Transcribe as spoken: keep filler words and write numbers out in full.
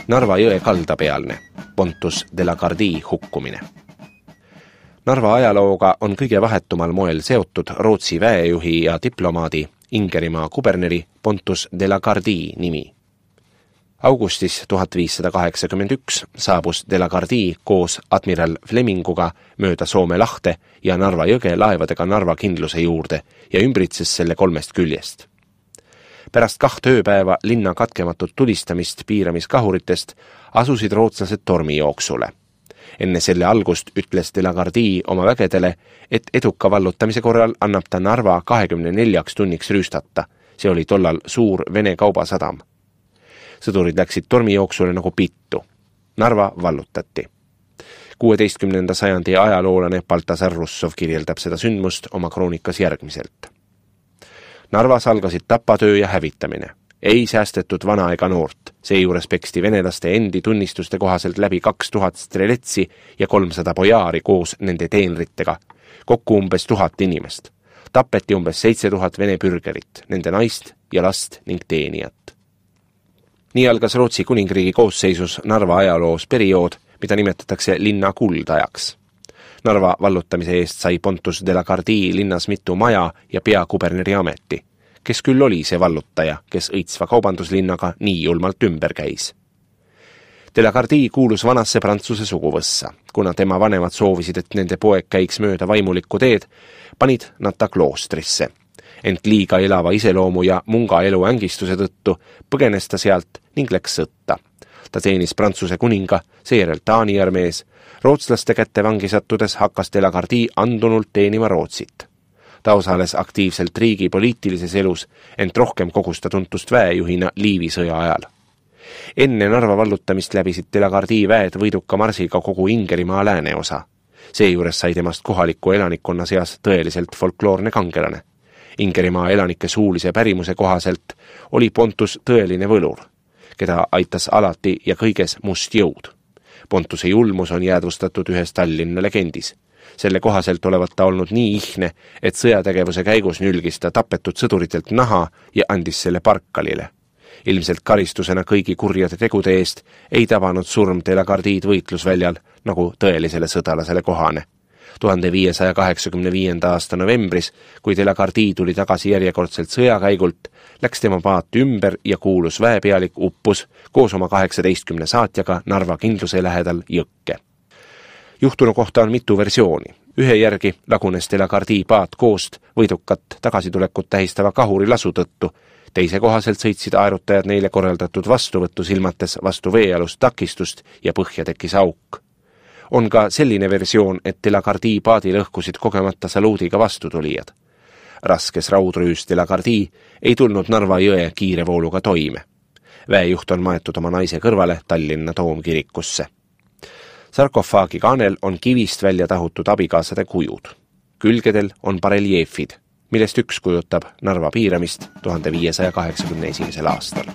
Narva jõe kaldapealne, Pontus de la Gardie hukkumine. Narva ajalooga on kõige vahetumal moel seotud Rootsi väejuhi ja diplomaadi Ingerimaa kuberneri Pontus de la Gardie nimi. Augustis tuhat viissada kaheksakümmend üks saabus de la Gardie koos admiral Fleminguga mööda Soome lahte ja Narva jõge laevadega Narva kindluse juurde ja ümbritses selle kolmest küljest. Pärast kaht ööpäeva linna katkematut tulistamist piiramiskahuritest asusid rootslased tormijooksule. Enne selle algust ütles de la Gardie oma vägedele, et eduka vallutamise korral annab ta Narva kahekümne neljaks tunniks rüüstata. See oli tollal suur Vene kaubasadam. Sõdurid läksid tormijooksule nagu pittu. Narva vallutati. kuueteistkümnenda sajandi ajaloolane Baltasar Russov kirjeldab seda sündmust oma kroonikas järgmiselt. Narvas algasid tapatöö ja hävitamine. Ei säästetud vana ega noort. Seejuures peksti venelaste endi tunnistuste kohaselt läbi kaks tuhat streletsi ja kolmsada bojaari koos nende teenritega. Kokku umbes tuhat inimest. Tapeti umbes seitse tuhat vene pürgerit, nende naist ja last ning teenijat. Nii algas Rootsi kuningriigi koosseisus Narva ajaloos periood, mida nimetatakse linna kuldajaks. Narva vallutamise eest sai Pontus de la Gardie linnas mitu maja ja peakuberneri ameti, kes küll oli see vallutaja, kes õitsva kaubanduslinnaga nii julmalt ümber käis. De la Gardie kuulus vanasse Prantsuse suguvõssa. Kuna tema vanemad soovisid, et nende poeg käiks mööda vaimulikku teed, panid nad ta kloostrisse. Ent liiga elava iseloomu ja munga elu ängistuse tõttu põgenes ta sealt ning läks sõtta. Ta teenis Prantsuse kuninga, seejärel Taani armees. Rootslaste kätte vangi sattudes hakkas de la Gardie andunult teenima Rootsit. Ta osales aktiivselt riigi poliitilises elus, ent rohkem kogus ta tuntust väejuhina Liivi sõja ajal. Enne Narva vallutamist läbisid de la Gardie väed võiduka marsiga kogu Ingerimaa lääneosa. Seejuures sai temast kohaliku elanikkonna seas tõeliselt folkloorne kangelane. Ingerimaa elanike suulise pärimuse kohaselt oli Pontus tõeline võlur, keda aitas alati ja kõiges must jõud. Pontuse julmus on jäädvustatud ühes Tallinna legendis. Selle kohaselt olevat ta olnud nii ihne, et sõjategevuse käigus nülgis ta tapetud sõduritelt naha ja andis selle parkalile. Ilmselt karistusena kõigi kurjade tegude eest ei tabanud surm de la Gardied võitlusväljal nagu tõelisele sõdalasele kohane. tuhande viiesaja kaheksakümne viienda aasta novembris, kui de la Gardie tuli tagasi järjekordselt sõjakäigult, läks tema paat ümber ja kuulus väepealik uppus koos oma kaheksateistkümne saatjaga Narva kindluse lähedal jõkke. Juhtunu kohta on mitu versiooni. Ühe järgi lagunes de la Gardie paat koost võidukat tagasitulekut tähistava kahuri lasu tõttu. Teise kohaselt sõitsid aerutajad neile korraldatud vastuvõttu silmates vastu veealust takistust ja põhja tekkis auk. On ka selline versioon, et de la Gardie paadi lõhkusid kogemata saluudiga vastutulijad. Raskes raudrüüs de la Gardie ei tulnud Narva jõe kiire vooluga toime. Väejuht on maetud oma naise kõrvale Tallinna toomkirikusse. Sarkofaagi kaanel on kivist välja tahutud abikaasade kujud. Külgedel on bareljeefid, millest üks kujutab Narva piiramist tuhande viiesaja kaheksakümne esimesel aastal.